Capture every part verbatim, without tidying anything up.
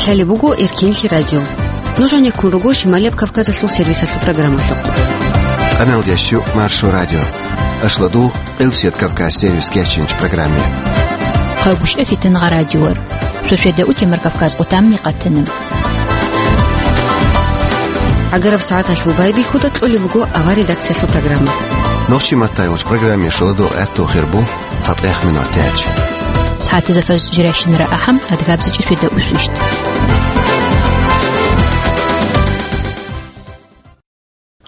Гьале буго Эркенлъи радио. Нуж гӀенеккун руго Шималияб Кавказалъул сервисалъул программалъухъ. Къаналдящу Маршо радио. Ашладул Къилсият Кавказ сервис кечинч программе. Хъагушев Фитангъа радиор. Шошведа утемар Кавказ къутамни къатана. ГӀагараб сагӀаталъул байбихьуда кьолеб буго авар редакциялъул программа. Нохчи маттайгъуч программе шоладул гӀатту хирбу. ЦатӀех минутач. СагӀатизафаз жирайщинара ахӀам, адгабзичӀи фида усвищт.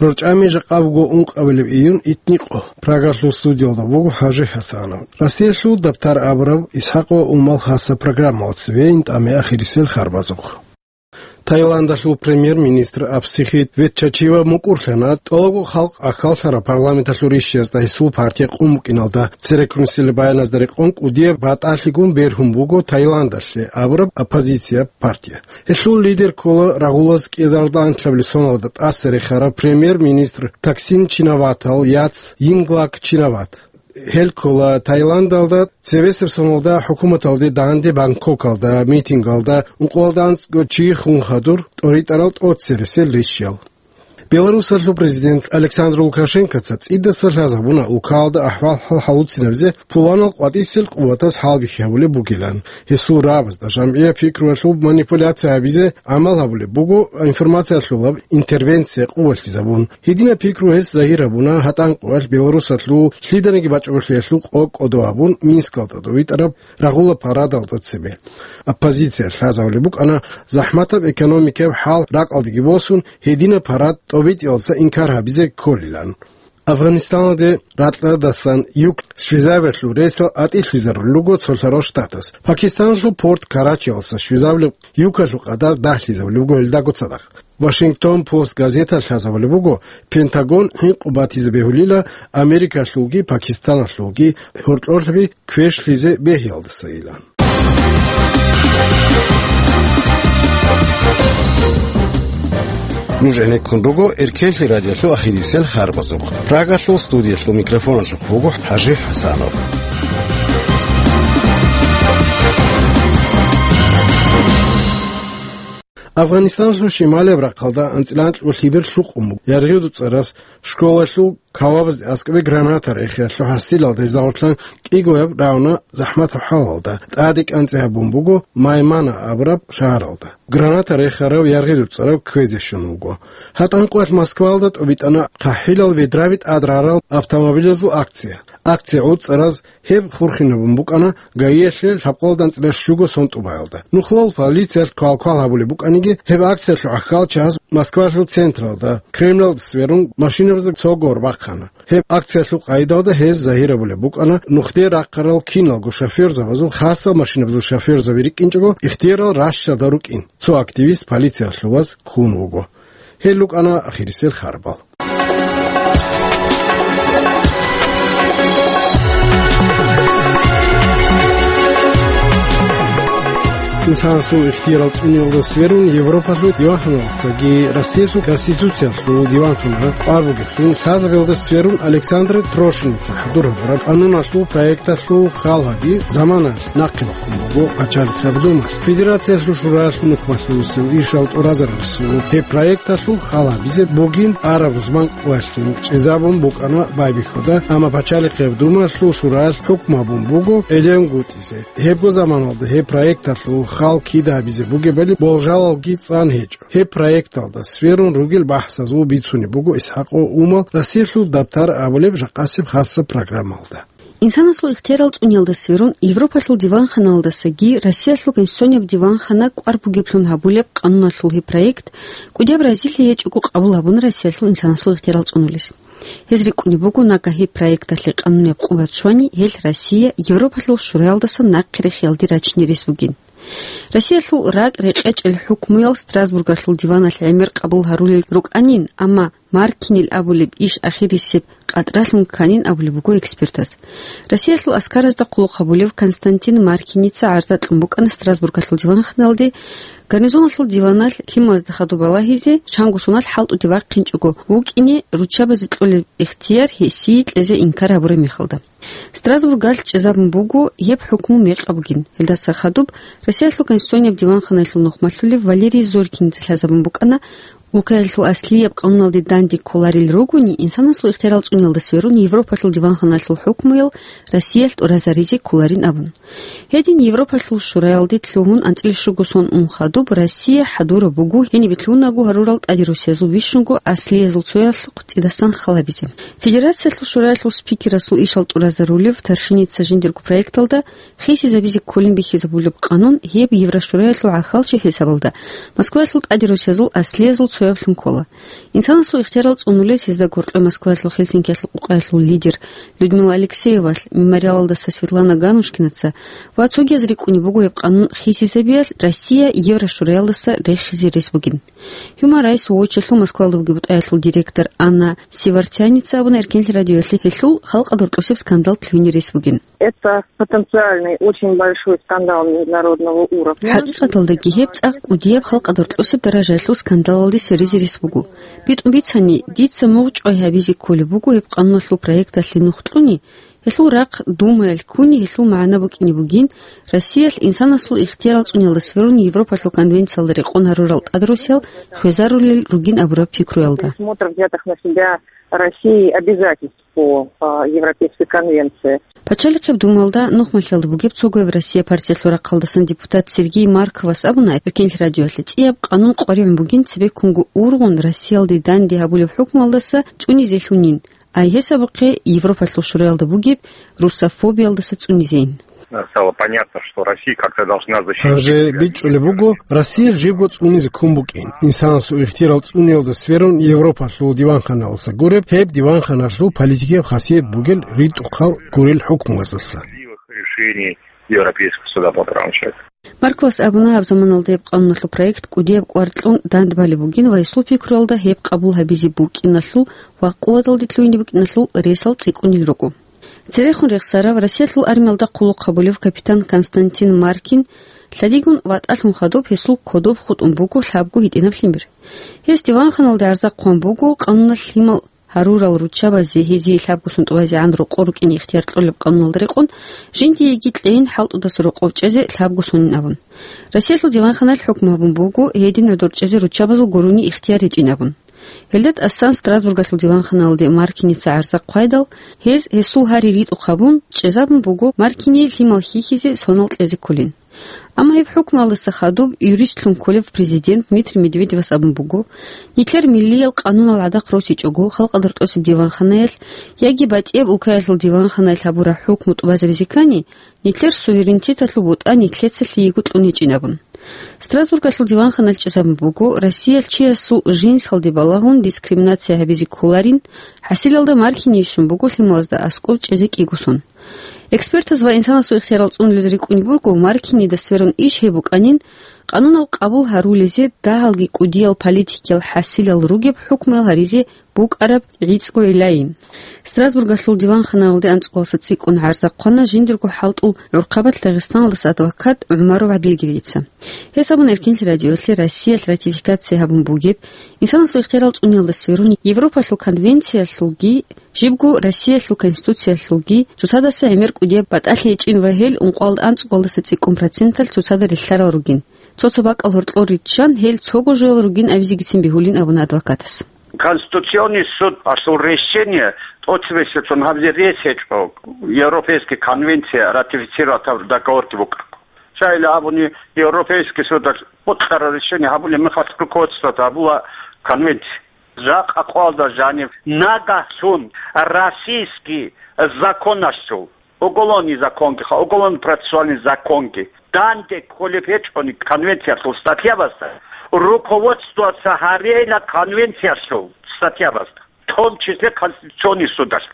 РорчӀами жакъа буго ункъабилеб июнь итникъо. Прагалъул студиялда буго ХӀажи ХӀасанов. Россиялъул дабтар абураб Исхакъо Умал хаса программалъ цевейин тӀаме ахирисел харбазухъ. Таиландалъул премьер-министр Абсихит Ветчачива мукӀурлъана тӀолабго халкъ ахьаллъараб парламенталъул ришшиязда гьесул партия къун букӀиналда. Церекрунсилеб баяназда рекъон кӀудияб батӀалъигун бергьун буго Таиландалъе абураб оппозицияб партия. Гьелъул лидер ккола рагъулаз кӀезарда анлъабилеб соналда тӀаса рехараб премьер-министр Таксин Чинаватал яц Йинглак Чинават. Гьел ккола Таиландалда цебесеб соналда хӀукуматалде данде Бангкокалда митингалда ункъоялда анцӀго чи хун хадур тӀоритӀарал тӀоцересел ришшиял. Беларусалъул президент Александр Лукашенкоца цӀидаса лъазабуна улкаялда ахӀвал-хӀал гьалуцинабизе пуланал къватӀисел къуватаз хӀалбихьи гьабулеб бугилан. Гьесул рагӀабазда жамгӀияб пикруялъул манипуляция гьабизе гӀамал гьабулеб буго, информациялъулаб интервенция къувалъизабун. Гьединаб пикру гьес загьир гьабуна гьатӀан къоялъ Беларусалъул лъиданиги бачӀунеблъиялъул къо кӀодо гьабун Минскалда тӀовитӀараб рагъула парадалда цебе. Оппозиция лъазабулеб букӀана захӀматаб экономикаяб хӀал ракӀалдеги босун, гьединаб парад тӀобитӀиялдаса инкар гьабизе кколилан. Афганистаналде ракьадасан юк щвезабиялъул рейсал атӀилъизарулел руго цолъарал штатас. Пакистаналъул порт Карачиялдаса щвезабулеб юкалъул къадар дагьлъизабулеб буго гьелдаго цадахъ. Вашингтон Пост газеталъ лъазабулеб буго, Пентагон гӀинкъун батизе бегьулила Америкалъулги Пакистаналъулги гьоркьорлъаби квешлъизе бегьиялдасайилан. Нуж гӀенеккун руго Эркенлъи радиолъул ахирисел харбазухъ. Прагалъул студиялъул микрофоналъухъ буго ХӀажи ХӀасанов. Афганистаналъул шималияб рахъалда анцӀила анкьго лъибер лъукъун буго. Яргъи дуцӀарас школалъул кавабазде аскӀобе граната рехиялъул хӀасилалда гьезда гъорлъан кӀигояб рагӀуна захӀматаб хӀалалда, тӀаде кӀанцӀи гьабун буго Маймана абураб шагьаралда. Граната рехарав яргъи дуцӀарав кквезе щун вуго. ГьатӀан къоялъ Москваялда тӀобитӀана хъахӀилал ведраби тӀад рарал автомобилазул акция. Акция гӀуцӀараз гьеб хурхинабун букӀана ГАИялъе лъабкъоялда анцӀила щуго сон тӀубаялда. Нухлал полициялъ квалквал гьабулеб букӀаниги, гьеб акциялъул гӀахьалчагӀаз Москвалъул централда, Кремлалда сверун, машинабазда цого гъоркь бахъана. Гьеб акциялъул къайдалда гьез загьир гьабулеб букӀана нухде рахъарал киналго шофёрзабазул, хасал машинабазул шофёрзаби рикӀкӀинчӀого, ихтиярал ращалда рукӀин. Цо активист полициялъулаз ккун вуго. Гьел рукӀана ахирисел харбал. Инсанасул ихтиярал цӀуниялда сверун Европалъул диванханалдасаги Россиялъул Конституциялъул диванханал къвар бугеблъун лъазабиялда сверун Александр Трошиница хӀадур гьабураб къануналъул проекталъул хал гьаби замана нахъе бахъун буго Пачалихъаб Думалъ. Федерациялъул шураялъул нухмалъулесул ишал тӀуразарулесул гьеб проекталъул хал гьабизе бугин араб рузман къоялъ чӀезабун букӀана байбихьуда, амма Пачалихъаб Думалъул шураялъ хӀукму гьабун буго гӀелегӀунгутӀизе. Гьебго заманалда гьеб проекталъул хал кида гьабизе бугебали болжалалги цӀан гьечӀо. Гьеб проекталда сверун ругел бахӀсазул бицунеб буго Исхакъо Умал Россиялъул дабтар абулеб жакъасеб хасаб программалда. Инсанасул ихтиярал цӀуниялда сверун Европалъул диванханалдасаги Россиялъул Конституцияб диванхана къвар бугеблъун гьабулеб къануналъул гьеб проект кӀудияб разилъи гьечӀого къабул гьабуна Россиялъул инсанасул ихтиярал цӀунулес. Гьез рикӀкӀунеб буго, нагагь гьеб проекталъе къанунияб къуват щвани, гьелъ Россия Европалъул шураялдаса нахъе рехиялде рачине рес бугин. Россиялъул ракӀ рекъечӀел хӀукмуял Страсбургалъул диваналъ гӀемер къабул гьарулел рукӀанин, амма Маркинил абулеб иш ахирисеб къатӀралъун кканин абулеб буго экспертаз. Россиялъул аскаразда хъулухъ гьабулев Константин Маркиница гӀарза кьун букӀана Страсбургалъул диванханалде, гарнизоналъул диваналъ лъималазда хадуб балагьизе, чанго соналъ хӀалтӀуде вахъинчӀого вукӀине руччабазе кьолеб ихтияр гьесие кьезе инкар гьабураб мехалда. Страсбургалъ чӀезабун буго гьеб хӀукму мекъаб бугин. Гьелдаса хадуб Россиялъул Конституцияб диванханаялъул нухмалъулев Валерий Зорькиница лъазабун букӀана, улкаялъул аслияб къануналде данде кколарел ругони, инсанасул ихтиярал цӀуниялда сверун Европалъул диванханаялъул хӀукмуял Россиялъ тӀуразаризе кколарин абун. Гьедин Европалъул шураялде лъугьун анцӀила щуго сон ун хадуб Россия хӀадураб буго гьениб лъугьунаго гьарурал тӀаде росиязул бищунго аслиязул цоясухъ цӀидасан халабизе. Федерациялъул шураялъул спикерасул ишал тӀуразарулев Таршиница жиндирго проекталда хисизабизе кколин бихьизабулеб къанун гьеб Еврошураялъул гӀахьалчи хӀисабалда Москваялъул тӀаде росиязул аслиязул цояблъун ккола. Инсанасул ихтиярал цӀунулес гьезда гьоркье Москваялъул Хельсинкиялъул къукъаялъул лидер Людмила Алексеевалъ, Мемориалалдаса Светлана Ганушкинаца ва цогияз рикӀкӀунеб буго гьеб къанун хисизабиялъ Россия Еврошураялдаса рехизе рес бугин. Human Rights Watch-алъул Москваялда бугеб бутӀаялъул директор Анна Сивартяница абуна Эркенлъи радиоялъе гьелъул халкъалда гьоркьосеб скандал лъугьине рес бугин. Это потенциальный очень большой скандал международного уровня. ХӀакъикъаталдаги гьеб цӀакъ кӀудияб халкъалда гьоркьосеб даражаялъул скандалалде сверизе рес буго. БитӀун бицани, дица мугъчӀвай гьабизе кколеб буго гьеб къануналъул проекталъе нух кьуни, гьелъул рахъ Думаялъ ккуни, гьелъул магӀна букӀине бугин, Россиялъ инсанасул ихтиярал цӀуниялда сверун Европалъул конвенциялда рекъон гьарурал тӀадросиял хвезарулел ругин абураб пикруялда. Пересмотр взятых на себя Россией обязательств по, а, Европейской конвенции. Пачалихъеб Думаялда нухмалъиялда бугеб цогояб Россия партиялъул рахъалдасан депутат Сергей Марковас абуна Эркенлъи радиоялъе, цӀияб къанун къваригӀун бугин цебеккунго ургъун Россиялде данде гьабулеб хӀукмуялдаса цӀунизелъунин, ай гьесабухъе Европалъул шураялда бугеб русофобиялдаса цӀунизейин. Стало понятно, что Россия как-то должна защитить себя. Гьанже бичӀчӀулеб буго, Россия жибго цӀунизе ккун букӀин. Инсанасул ихтиярал цӀуниялда сверун Европалъул диванханалдаса гуреб, гьеб диванханалъул политикияб хасият бугел ритӀухъал гурел хӀукмуяздаса. Справедливых решений Европейского суда по правам человека. Марковас абуна, гьаб заманалда гьеб къануналъул проект кӀудияб кӀвар кьун дандбалеб бугин ва гьесул пикруялда гьеб къабул гьабизе букӀиналъул ва къуваталде лъугьине букӀиналъул ресал цӀикӀкӀунел руго. Церехун рехсарав, Россиялъул армиялда хъулухъ гьабулев капитан Константин Маркин лъадигун ватӀалъун хадуб гьесул кодоб хутӀун буго лъабго гьитӀинаб лъимер. Гьес диванханалде гӀарза хъван буго, къануналъ лъимал гьарурал руччабазе гьезие лъабго сон тӀубазегӀан рокъор рукӀине ихтияр кьолеб къануналда рекъон, жиндиеги кьейин хӀалтӀудаса рокъов чӀезе лъабго сонин абун. Россиялъул диванханалъ хӀукму гьабун буго, гьедин гӀодор чӀезе руччабазул гурони ихтияр гьечӀин абун. Гьелда тӀасан Страсбургалъул диванханалде Маркиница гӀарза хъвайдал, гьез гьесул гьари ритӀухъ гьабун, чӀезабун буго Маркини лъимал хьихьизе сонал кьезе кколин. Амма гьеб хӀукмуялдаса хадуб юристлъун кколев президент Дмитрий Медведевас абун буго, нилъер миллиял къанунал гӀадахъ росичӀого, халкъалда гьоркьосеб диванханаялъ яги батӀияб улкаялъул диванханаялъ гьабураб хӀукму тӀубазабизе ккани, нилъер суверенитеталъул бутӀа нилъеца лъиего кьун гьечӀин абун. Страсбургалъул диванханалъ чӀезабун буго, Россиялъ чиясул жинсалде балагьун дискриминация гьабизе кколарин, хӀасилалда Маркини щун буго лъималазда аскӀов чӀезе кӀиго сон. Экспертаз ва инсанасул ихтиярал цӀунулез рикӀкӀунеб буго, Маркинида сверун иш гьеб букӀанин, къанунал къабул гьарулезе дагьалги кӀудиял политикиял хӀасилал ругеб хӀукмуял гьаризе букӀараб гӀицӀго гӀиллайин. Страсбургалъул диванханаялде анцӀгоялдаса цӀикӀкӀун гӀарза хъвана жиндирго хӀалтӀул гӀурхъабазда Дагъистаналдаса адвокат ГӀумаров ГӀадилгирица. Гьес абуна Эркенлъи радиоялъе Россиялъ ратификация гьабун бугеб, инсанасул ихтиярал цӀуниялда сверун Европалъул конвенциялъулги, жибго Россиялъул Конституциялъулги цоцадаса гӀемер кӀудияб батӀалъи гьечӀин ва гьел ункъоялда анцӀгоялдаса цӀикӀкӀун проценталъ цоцазда релълъарал ругин. Цо-цо бакӀал гьоркьор риччан гьел цого жоял ругин абизегицин бегьулин абуна адвокатас. Конституционный судалъул решение тӀоцебесеб сон гьабизе рес гьечӀо Европейский конвенция ратифицировать гьабураб договорги букӀаго. Щайила абуни, Европейский судалъ бокьараб решение гьабулеб мехалъ руководствовать гьабула конвенция. Жакъа къоялда жанив нагагьлъун российский законалъул, уголовный законги ха, уголовно-процессуальный законги, данде кколеб гьечӀони конвенциялъул статьябазда, руководствоваться гьарейила конвенциялъул статьябазда. в том числе Конституционный судалъ.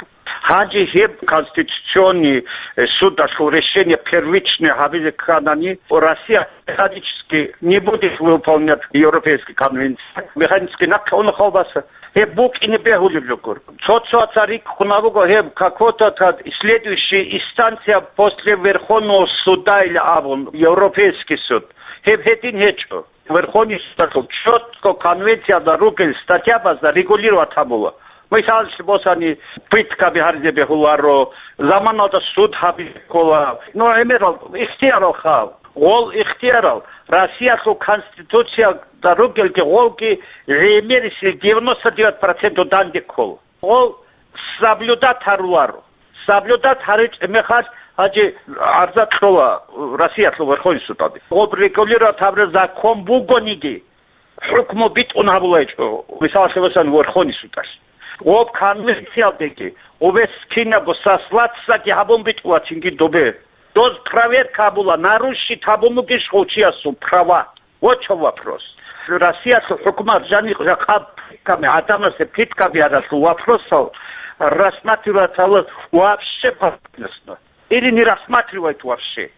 Гьанже гьеб Конституционный, э, судалъул решение первичное гьабизе кканани, Россия механически не будет выполнять Европейские конвенции. Механически нахъе уна халбаса. Гьеб букӀине бегьулеб жо гуро. Цо-цоца рикӀкӀуна буго гьеб какой-то тад следующая инстанция после Верховного суда или абун, Европейский суд. Гьеб гьедин гьечӀо. Верховный судалъул четко конвенциялда ругел статьябазда регулировать гьабула. Мисаллъи босани, пыткаби гьаризе бегьуларо, заманалда суд гьабизе ккола. Ну, гӀемерал ихтиярал хал. Гъол ихтиярал Россиялъул Конституциялда ругелги гъолги гӀемерисел девяносто девять процент данде ккола. Гъол соблюдать гьаруларо. Соблюдать гьаричӀеб мехалъ гьанже гӀарза кьола Россиялъул Верховный судалде. Гъоб регулировать гьабураб закон бугониги, хӀукму битӀун гьабулайчӀо, мисаллъи босани, Верховный судалъ. Гъоб конвенциялдеги, гъобе кинабго сослаться-ги гьабун битӀулачинги добе. Доз проверка гьабула, нарушить гьабун бугищ гъов чиясул права. Вот чо вопрос. Россиялъул хӀукумат жаниб жакъа пытками, гӀадамасе пытками гьаралъул вопросал рассматривать гьабулеб вообще поверхностно. Или не рассматривает вообще.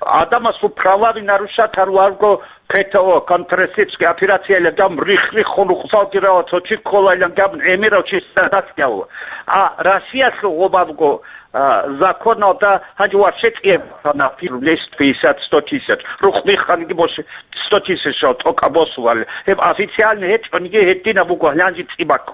Адамасул праваби нарушать гьаруларго, К Т О, контртеррористическая операция, илан гьабун рих-риххун рукъзалги рала, цо чи кколайилан гьабун гӀемерав чи садат гьавула. А Россиялъул гъобабго, а, законалда гьанже вообще кӀияб бахъана, пир лес пятьдесят, сто тысяч. Рукъ бихханиги больше сто тысячал тӀокӀаб босуларел. Гьеб официально гьечӀониги гьединаб буго, гьанже цӀибакъ.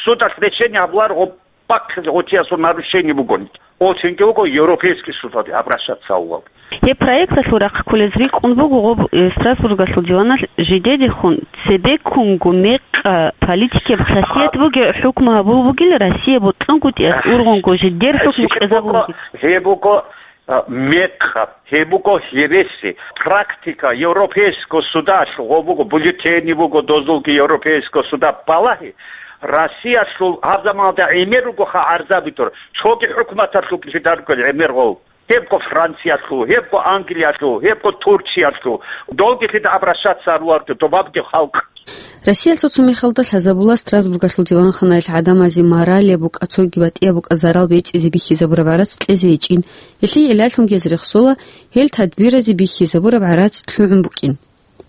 Судалъ решение гьабулар гъоб бахъизе гъочиясул нарушение бугони, гъочинги вуго Европейский судалде обращаться гьавулав. Гьеб проекталъул рахъ кколез рикӀкӀун буго гъоб, э, Страсбургалъул диваналъ жидедехун цебеккунго мекъа политикияб хасият бугеб хӀукму гьабул бугел Россия бокьунгутӀиялъ ургъунго жидер хӀукму кьезабулги. Гьеб буго, а, мекъаб, гьеб буго гьереси, практика Европейского судалъ гъо буго, бюллетени буго дозулги Европейского суда балагьи, Россиялъул гьаб заманалда гӀемер ругоха гӀарзаби дур, цоги хӀукуматалъул жидарго гӀемер гъов. Гьебго Франциялъул, гьебго Англиялъул, гьебго Турциялъул, долги лъида обращаться гьаруларго добабги халкъ. Россиялъул цо мехалда лъазабула Страсбургалъул диванханаялъ гӀадамазе моралияб букӀа, цоги батӀияб букӀа зарал бецӀизе бихьизабураб гӀарац кьезе гьечӀин. Гьелъие гӀиллалъунги гьез рехсола гьел тадбиразе бихьизабураб гӀарац лъугӀун букӀин.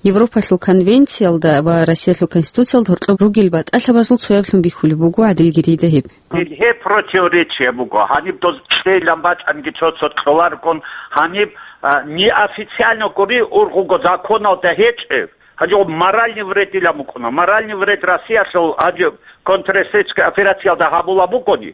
Европалъул конвенциялда ва Россиялъул Конституциялда гьоркьоб ругел батӀалъабазул цояблъун бихьулеб буго гӀадилги рейда гьеб. Гьеб противоречие буго. Гьаниб доз кьейилан бачӀанги цо-цо кьоларгун, гьаниб, а, неофициально гури ургъуго законалда гьечӀеб. Гьанже моральный вредилан букӀуна. Моральный вред Россиялъул гьанже контртеррористическая операциялда гьабула бугони,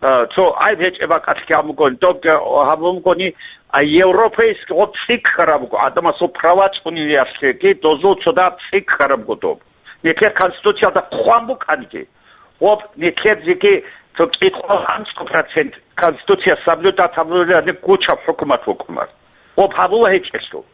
а, цо гӀайб гьечӀеб бакӀалъги гьабун бугони, добги гьабун бугони, а, европейский гъоб цӀикӀкӀараб буго, гӀадамасул права цӀуниялъеги дозул цодаб цӀикӀкӀараб буго доб. Нилъер Конституциялда хъван букӀанги, гъоб нилъер жеги цо кӀикъоялда анцӀго процент Конституция соблюдать гьабулареб гучаб хӀукумат букӀунар. Гъоб гьабула гьечӀелъул.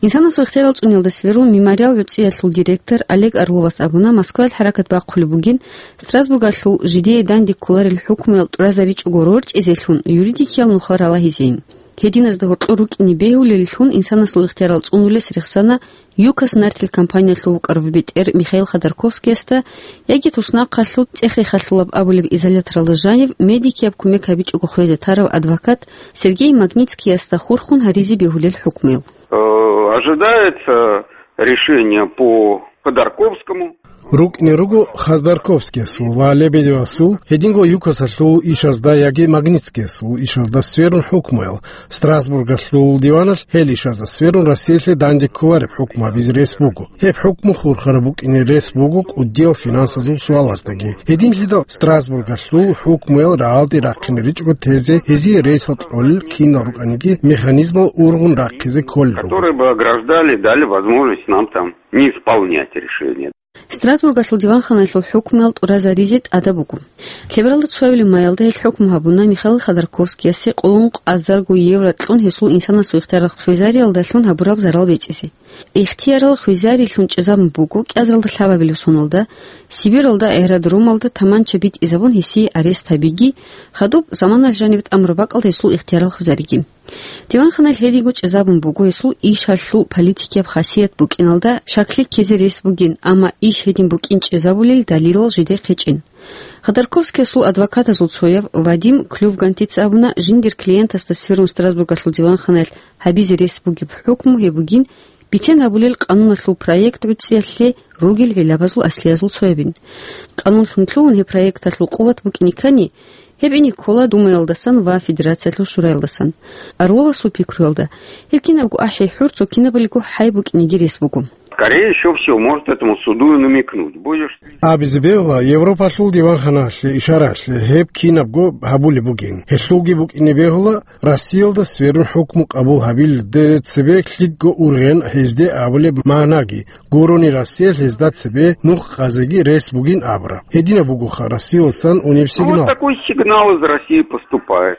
Инсанасул ихтиярал цӀуниялда сверун «Мемориал» гӀуцӀиялъул директор Олег Орловас абуна, Москваялъ хӀаракат бахъулеб бугин Страсбургалъул жидее данде кколарел хӀукмуял тӀуразаричӀого рорчӀизелъун юридикиял нухал ралагьизейин. Гьединазда гьоркьор рукӀине бегьулеллъун инсанасул ихтиярал цӀунулес рехсана ЮКОС нартил компаниялъул вукӀарав бетӀер Михаил Ходорковскиясда яги туснахъалъул цӀех-рехалъулаб абулеб изоляторалда жанив медикияб кумек гьабичӀого хвезе тарав адвокат Сергей Магнитскиясда хурхун гьаризе бегьулел хӀукмуял. Э, ожидается решение по Ходорковскому. РукӀине руго Ходорковскиясул ва Лебедевасул, гьединго ЮКОСалъул ишазда яги Магнитскиясул ишазда сверун хӀукмуял. Страсбургалъул диваналъ гьел ишазда сверун Россиялъе данде кколареб хӀукму гьабизе рес буго. Гьеб хӀукму хурхараб букӀине рес буго кӀудиял финансазул суалаздаги. Гьединлъидал Страсбургалъул хӀукмуял рагӀалде рахъине ричӀого тезе гьезие ресал кьолел кинал рукӀаниги механизмал ургъун рахъизе кколел руго. Которые бы ограждали, дали возможность нам там не исполнять решение. Страсбургалъул диванханаялъул хӀукмуял тӀуразаризе тӀадаб буго. Лъебералда цоябилеб маялда гьел хӀукму гьабуна Михаил Ходорковскиясе къоло ункъазарго евро кьун гьесул инсанасул ихтиярал хвезариялдалъун гьабураб зарал бецӀизе. Ихтиярал хвезарилъун чӀезабун буго кӀиазаралда лъабабилеб соналда, Сибиралда аэродромалда таманча битӀизабун гьесие арест гьабиги, хадуб заманалъ жанив тӀамураб бакӀалда гьесул ихтиярал хвезариги. Диванханаялъ гьединго чӀезабун буго гьесул ишалъул политикияб хасият букӀиналда шаклъи ккезе рес бугин, амма иш гьедин букӀин чӀезабулел далилал жидехъ гьечӀин. Ходорковскиясул адвокатазул цояв Вадим Клювгантица абуна, жиндир клиентасда сверун Страсбургалъул диванханаялъ гьабизе рес бугеб хӀукму гьеб бугин, бицен гьабулел къануналъул проект гӀуцӀиялъе ругел гӀиллабазул аслиязул цоябин. Къанунлъун лъугьун гьеб проекталъул къуват букӀине ккани, гьеб ине ккола Думаялдасан ва Федерациялъул Шураялдасан. Орловасул пикруялда, гьеб кинабго ахӀи-хӀур цо кинабалиго хӀай букӀинеги рес буго. Скорее всего, может этому суду и намекнуть. Будешь Абизе бегьула, Европалъул диванханалъе ишаралъе гьеб кинабго гьабулеб бугин. Гьелъулги букӀине бегьула, Россиялда сверун хӀукму къабул гьабилде цебе лъикӀго ургъен гьезде абулеб магӀнаги, гурони Россиялъ гьезда цебе нух къазеги рес бугин абураб. Гьединаб бугоха Россиялдасан унеб Ну, вот сигнал. Такой сигнал из России поступает.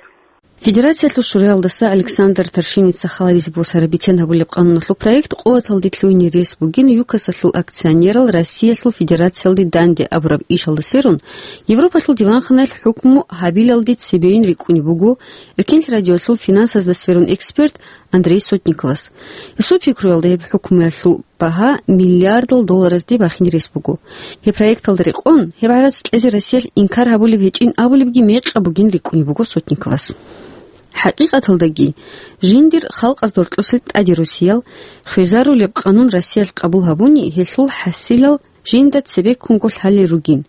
Федерациялъул Шураялдаса Александр Таршиница халабизе босараб бицен гьабулеб къануналъул проект къуваталде лъугьине рес бугин ЮКОСалъул акционерал Россиялъул Федерациялде данде абураб ишалда сверун, Европалъул диванханаялъ хӀукму гьабилалде цебейин рикӀкӀунеб буго Эркенлъи радиолъул финансазда сверун эксперт Андрей Сотниковас. Гьесул пикруялда, гьеб хӀукмуялъул багьа миллиардал долларазде бахине рес буго. Гьеб проекталда рекъон, гьеб гӀарац кьезе Россиялъ инкар гьабулеб гьечӀин абулебги мекъаб бугин рикӀкӀунеб буго Сотниковас. ХӀакъикъаталдаги, жиндир халкъазда гьоркьосел тӀаде росиял, хвезарулеб къанун Россиялъ къабул гьабуни, гьелъул хӀасилал жинда цебеккунго лъалел ругин.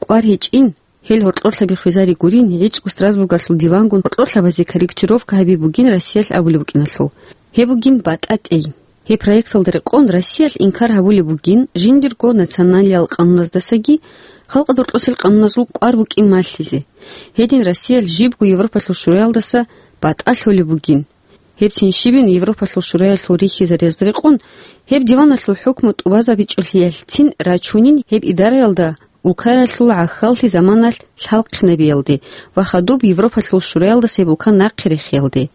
КӀвар гьечӀин, гьел гьоркьорлъаби хвезари гурин, гӀицӀго Страсбургалъул дивангун гьоркьорлъабазе корректировка гьаби бугин Россиялъ абулеб букӀиналъул. Гьеб бугин батӀа-тӀей. Гьеб проекталда рекъон Россиялъ инкар гьабулеб бугин жиндирго националиял къануназдасаги, халкъа доркьосел къануназул кӀвар букӀин малъизе. Гьедин Россиялъ жибго Европалъул Шураялдаса батӀа лъолеб бугин. Гьебцин щибин Европалъул Шураялъул рихьизариязда рекъон, гьеб диваналъул хӀукму тӀубазабичӀолъиялъцин рачунин гьеб идараялда улкаялъул гӀахьаллъи заманалъ лъалхъинабиялде ва хадуб Европалъул Шураялдаса гьеб улка нахъе рехиялде.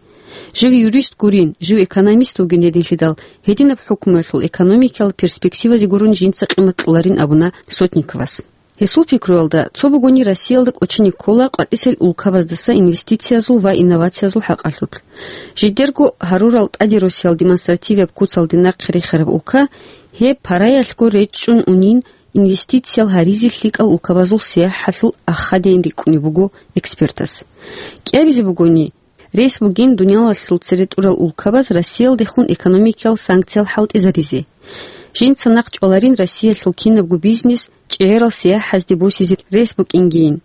Жив юрист гурин, жив экономист вугин гьединлъидал, гьединаб хӀукмуялъул экономикиял перспективазе гурун жинца къимат кьоларин абуна Сотниковас. Гьесул пикруялда, цо бугони Россиялда кӀочине ккола къватӀисел улкабаздаса инвестициязул ва инновациязул хӀакъалъулъ. Жидерго гьарурал тӀаде росиял демонстративияб куцалде нахъе рехараб улка, гьеб параялъго речӀчӀун унин, инвестициял гьаризе лъикӀал улкабазул сияхӀалъул ахадейин рикӀкӀунеб буго экспертас. КӀиабизе бугони, рес бугин дуниялалъул цере тӀурал улкабаз Россиялдехун экономикиял санкциял хӀалтӀизаризе. Жинца нахъ чӀваларин Россиялъул кинабго бизнес чӀегӀерал сияхӀазде босизе рес букӀингийин.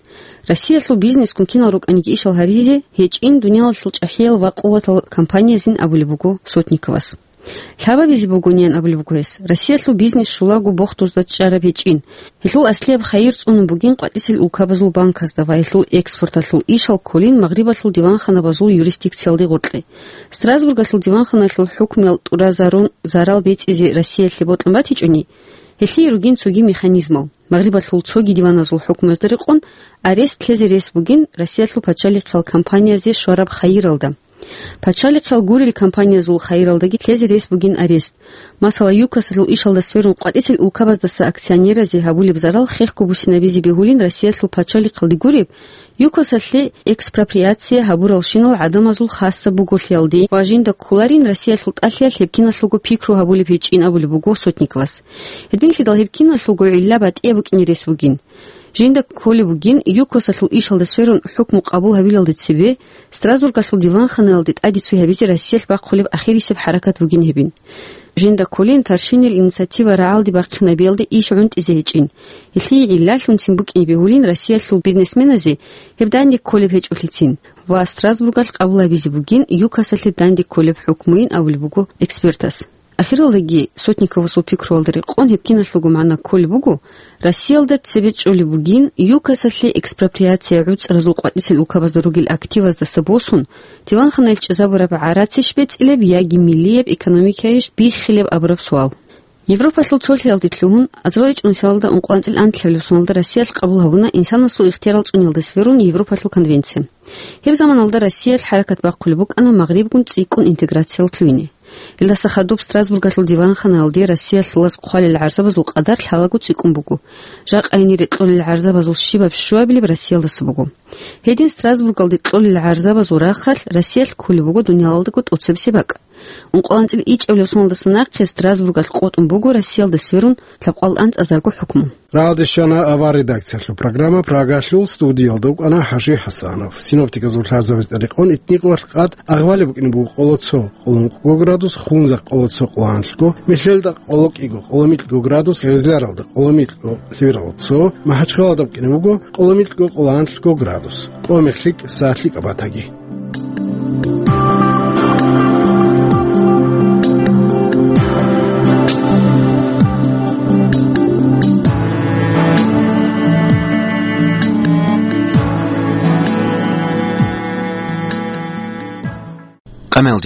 Россиялъул бизнескун кинал рукӀаниги ишал гьаризе гьечӀин дуниялалъул чӀахӀиял ва къуватал компаниязин абулеб буго Сотниковас. Лъабабизе бугониан абулеб буго гьес, Россиялъул бизнес щулаго бохдузда чӀараб гьечӀин. Гьелъул аслияб хайир цӀунун бугин къватӀисел улкабазул банказда ва гьелъул экспорталъул ишал кколин Магърибалъул диванханабазул юрисдикциялде гъоркье. Страсбургалъул диванханалъул хӀукмуял тӀуразарун зарал бецӀизе Россиялъе бокьун батичӀони, гьелъие ругин цоги механизмал. Магърибалъул цоги диваназул хӀукмуязда рекъон арест лъезе рес бугин Россиялъул пачалихъал компаниязе щвараб хайиралда. Пачалихъал гурел компаниязул хайиралдаги лъезе рес бугин арест. Масала, ЮКОСалъул ишалда сверун къватӀисел улкабаздаса акционеразе гьабулеб зарал хехго буссинабизе бегьулин Россиялъул пачалихъалде гуреб, ЮКОСалъе экспроприация гьабуралщинал гӀадамазул хасаб буголъиялде ва жинда кколарин Россиялъул тӀалъиялъ гьеб киналъулго пикру гьабулеб гьечӀин абулеб буго Сотниковас. Гьединлъидал гьеб киналъулго гӀилла батӀияб букӀине рес бугин. Жинда кколеб бугин, ЮКОСалъул ишалда сверун хӀукму къабул гьабилалде цебе, Страсбургалъул диванханаялде тӀаде цой гьабизе Россиялъ бахъулеб ахирисеб хӀаракат бугин гьебин. Жинда кколин Таршинил инициатива рагӀалде бахъинабиялде иш гӀунтӀизе гьечӀин. Гьелъие гӀиллалъунцин букӀине бегьулин Россиялъул бизнесменазе гьеб данде кколеб гьечӀолъицин ва Страсбургалъ къабул гьабизе бугин ЮКОСалъе данде кколеб хӀукмуйин абулеб буго экспертас. Ахиралдаги Сотниковасул пикруялда рекъон гьеб киналъулго магӀна кколеб буго, Россиялда цебе чӀолеб бугин, ЮКОСалъе экспроприация гӀуцӀразул къватӀисел улкабазда ругел активаздаса босун, диванханаялъ чӀезабураб гӀарацищ бецӀилеб яги миллияб экономикайищ биххилеб абураб суал. Европалъул цолъиялде лъугьун, азарилчӀун соналда ункъоанцӀил анлъабилеб соналда Россиялъ къабул гьабуна инсанасул ихтиярал цӀуниялда сверун Европалъул конвенция. Гьеб заманалда Россиялъ хӀаракат бахъулеб букӀана Магърибгун цӀикӀкӀун интеграциял лъугьине. Илдаса хадуб Страсбургалъул диванханаялде Россиялъулаз хъвалел гӀарзабазул къадар лъалаго цӀикӀкӀун буго. Жакъа гьенире кьолел гӀарзабазул щибаб щуабилеб Россиялдаса буго. Гьедин Страсбургалде кьолел гӀарзабазул рахъалъ Россиялъ кколеб буго дуниялалдаго тӀоцебесеб бакӀ. УнкъоанцӀил ичӀабилеб соналдаса нахъе Страсбургалъ къотӀун буго Россиялда сверун лъабкъоялда анцӀазарго хӀукму. Рагъалде щвана авар редакциялъул программа Прагалъул, студиялда вукӀана ХӀажи ХӀасанов. Синоптиказул лъазабаз тӀадекъон, итникъоялъ къад агъвалеб букӀине буго къоло цо, къоло ункъго градус, Хунзахъ къоло цо, къоло нахлъго, Мехьелда къоло кӀиго, къоло микьго градус, Гъезляралда къоло микьго, Лъивиралда цо, МахӀачхъалада букӀине буго къоло микьго, къоло нахлъго градус. Къо мех лъикӀ, сагӀат лъикӀаб батаги. Къамел